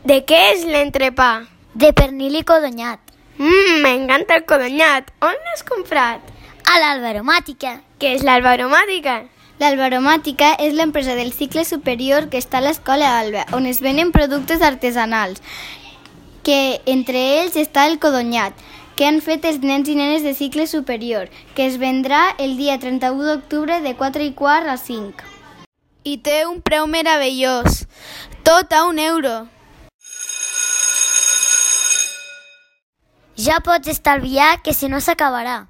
¿De qué es l'entrepà? De pernil i codonyat. M'encanta el codonyat. On l'has comprat? A l'Alba Aromàtica. Què és l'Alba Aromàtica? L'Alba Aromàtica és l'empresa del cicle superior que està a l'Escola Alba, on es venen productes artesanals, que entre ells està el codonyat, que han fet els nens i nenes de cicle superior, que es vendrà el dia 31 d'octubre de 4:15 a 5. I té un preu meravellós, tot a €1. Ja pots estalviar, que si no s'acabarà.